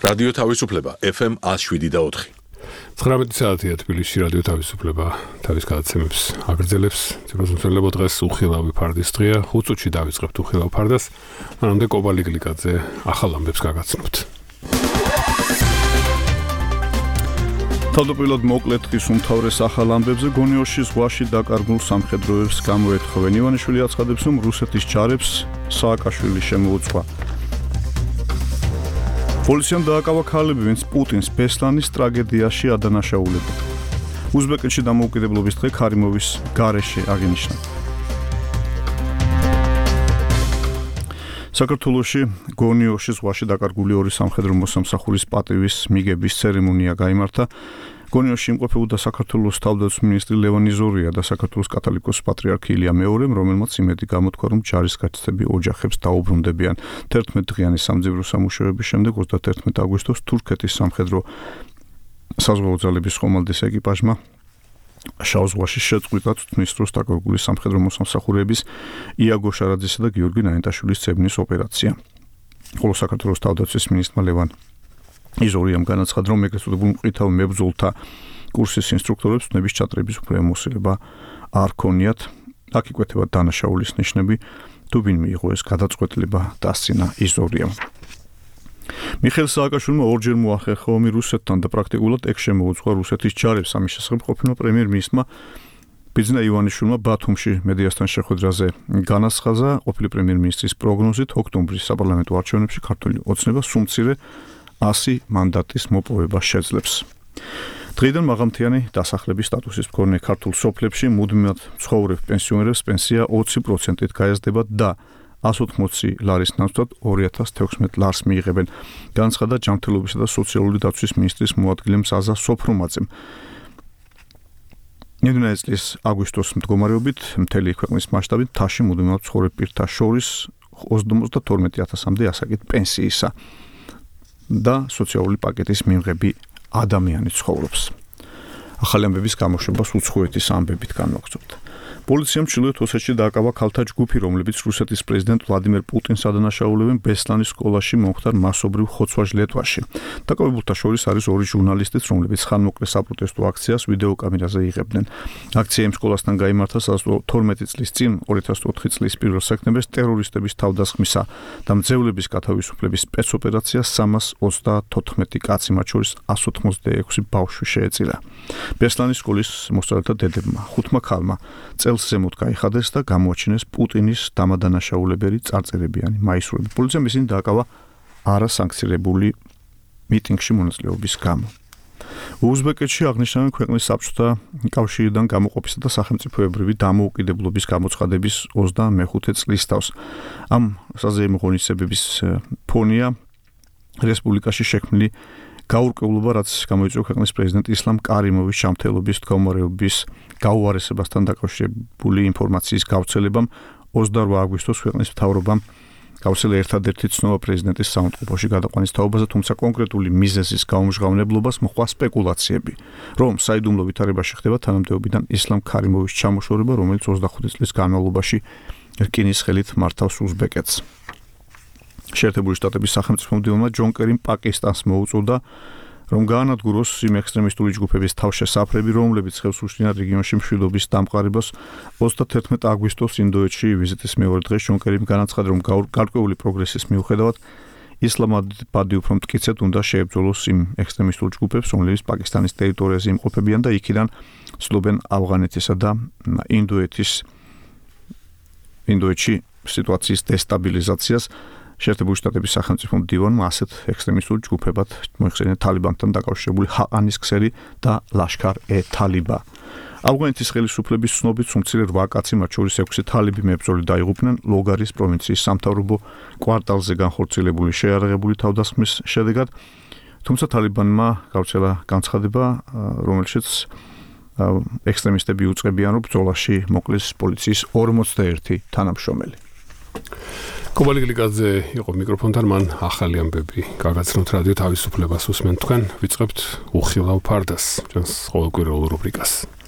რადიო თავისუფლება FM 107.4. 19 საათია თბილისში რადიო თავისუფლება თავის გადაცემებს აგრძელებს. ძიროსმცველებო დღეს უხილავი ფარდის დღეა. 5 წუთში დავიწყებთ უხილავ ფარდას. მანამდე კობალი გლიკაძე ახალ ამბებს გაგაცნობთ. თავდაპირველად მოკლედ დღის უმთავრეს ახალ ამბებზე გონიოში ზღვაში დაკარგულ სამხედროებს გამოეთხოვენ. ივანიშვილი აცხადებს, რომ რუსეთის ჯარებს სააკაშვილი შემოუწყვა. პოლიციამ დააკავა ქალები, ვინც პუტინს ბესლანის ტრაგედიაში ადანაშაულებდა. უზბეკეთში დამოუკიდებლობის დღე ქარიმოვის გარეშე აღინიშნა. საქართველოში გონიოში ზღვაში დაკარგული 2 სამხედრო მოსამსახურის პატივის მიგების ცერემონია გაიმართა. გონიოში იმყოფებოდა საქართველოს თავდაცვის მინისტრი ლევან იზორია და საქართველოს კათოლიკოსი პატრიარქი ილია მეორემ, რომელმაც იმედი გამოთქვა, რომ ჯარისკაცები ოჯახებს დაუბრუნდებიან. 11 დღიანი სამძებრო სამუშაოების შემდეგ 31 აგვისტოს თურქეთის სამხედრო საზღვაო ძალების ხომალდის ეკიპაჟმა შავ ზღვაში შეწყვიტა თვითმის დროს დაკარგული სამხედრო მოსამსახურეების იაგო შარაძისა და გიორგი ნაინტაშვილის ძებნის ოპერაცია. ხოლო საქართველოს თავდაცვის მინისტრმა ლევან იზორიამ განაცხადა, რომ ეგრეთ წოდებულ მყვითავ მებრძოლთა კურსის ინსტრუქტორებს ნების ჩატრების უფლებამოსილება არ ქონიათ. აქ იკვეთება დანაშაულის ნიშნები, თუ ვინ მიიღო ეს გადაწყვეტილება, დასცინა იზორიამ. მიხეილ სააკაშვილმა ორჯერ მოახერხა ომი რუსეთთან და პრაქტიკულად ეგ შემოუწყვა რუსეთის ჯარებს. ამის შესახებ ყოფილმა პრემიერ-მინისტრმა ბიძინა ივანიშვილმა ბათუმში მედიასთან შეხვედრაზე განაცხადა, ყოფილი პრემიერ-მინისტრის პროგნოზით ოქტომბრის საპარლამენტო არჩევნებში ქართული ოცნება სუმცირე 100 მანდატის მოპოვება შეძლებს. დღეიდან მაღალმთიანი დასახლების სტატუსის მქონე ქართულ სოფლებში მუდმივად მცხოვრებ პენსიონერებს პენსია 20%-ით გაეზრდება და 180 ლარის ნაცვლად 2016 ლარს მიიღებენ. განაცხადა ჯანმრთელობისა და სოციალური დაცვის მინისტრის მოადგილე მზაზა სოფრომაძემ. ნედლიანი წლის აგვისტოს მდგომარეობით მთელი ქვეყნის მასშტაბით თაში მუდმივად მცხოვრებ პირთა შორის 52,000-მდე ასაკით პენსიისა და სოციალური პაკეტის მიღები ადამიანი ცხოვრობს. ახალი ამბების გამოშვებას უცხოეთის ამბებით განვაგრძობთ. პოლიციამ ჩრდილოეთ ოსეთში დააკავა ქალთა ჯგუფი, რომლებიც რუსეთის პრეზიდენტ ვლადიმერ პუტინს ადანაშაულებენ ბესლანის სკოლაში მომხდარ მასობრივ ხოცვა-ჟლეტვაში. დაკავებულთა შორის არის 2 ჟურნალისტიც, რომლებიც ხანმოკლე საპროტესტო აქციას ვიდეო კამერაზე იღებდნენ. აქცია იმ სკოლასთან გაიმართა 12 წლის წინ 2004 წლის 1 სექტემბერს ტერორისტების თავდასხმისა და მძევლების გათავისუფლების სპეცოპერაცია 334 კაცი, მათ შორის 186 ბავშვი შეეწირა. ბესლანის სკოლის მოსწავლეთა დედებმა 5 ქალმა წელს ზემოთ გაიხადეს და გამოაჩინეს პუტინის დამადანაშაულებელი წარწერებიანი მაისურები. პოლიციამ ისინი დააკავა არასანქცირებული მიტინგში მონაწილეობის გამო. უზბეკეთში აღნიშნავენ ქვეყნის საბჭოთა კავშირიდან გამოყოფისა და სახელმწიფოებრივი დამოუკიდებლობის გამოცხადების 25 წლისთავს. ამ საზეიმო ღონისძიებების ფონია რესპუბლიკაში შექმნილი გაურკვევლობა, რაც გამოიწვია ქვეყნის პრეზიდენტ ისლამ კარიმოვის ჩამთელობის მდგომარეობის გაუარესებასთან დაკავშირებული ინფორმაციის გავრცელებამ 28 აგვისტოს ქვეყნის მთავრობამ გავრცელა ერთადერთი ცნობა პრეზიდენტის საუნდტროფოში გადაყვანის თაობაზე, თუმცა კონკრეტული მიზეზის გაუმჟღავნებლობას მოჰყვა სპეკულაციები, რომ საიდუმლო ვითარებაში ხდება თანამდებობიდან ისლამ კარიმოვის ჩამოშორება, რომელიც 25 წლის განმავლობაში რკინის ხელით მართავს უზბეკეთს. შეერთებული შტატების სახელმწიფო მდივანმა ჯონ კერიმ პაკისტანს მოუწოდა, რომ გაანადგუროს იმ ექსტრემისტული ჯგუფების თავშესაფრები, რომლებიც ხელს უშლიან რეგიონში მშვიდობის დამყარებას. 31 აგვისტოს ინდოეთში ვიზიტის მეორე დღეს ჯონ კერიმ განაცხადა, რომ გარკვეული პროგრესის მიუხედავად ისლამაბადი უფრო მტკიცედ უნდა შეებრძოლოს იმ ექსტრემისტულ ჯგუფებს, რომლებიც პაკისტანის ტერიტორიაზე იმყოფებიან და იქიდან ცდილობენ ავღანეთისა და ინდოეთში სიტუაციის დესტაბილიზაციას. შეერთებული შტატების სახელმწიფო მდივანმა ასეთ ექსტრემისტულ ჯგუფებად მოიხსენია თალიბანთან დაკავშირებული ჰაყანის ქსელი და ლაშქარ-ე-თალიბა. ავღანეთის ხელისუფლების ცნობით სუმცირე 8 კაცი, მათ შორის 6 თალიბი მებრძოლი დაიღუპნენ ლოგარის პროვინციის სამთავრობო კვარტალზე განხორციელებული შეიარაღებული თავდასხმის შედეგად. თუმცა თალიბანმა გავრცელა განცხადება, რომელშიც ექსტრემისტები უწყებიან, რომ ბრძოლაში მოკლეს პოლიციის 41 თანამშრომელი. კობალი გლიკაძე იყო მიკროფონთან, მან ახალი ამბები გაგაცნოთ რადიო თავისუფლებას უსმენთ თქვენ, ვიწყებთ უხილავ ფარდას, ჩვენს ყოველკვირეულ რუბრიკას.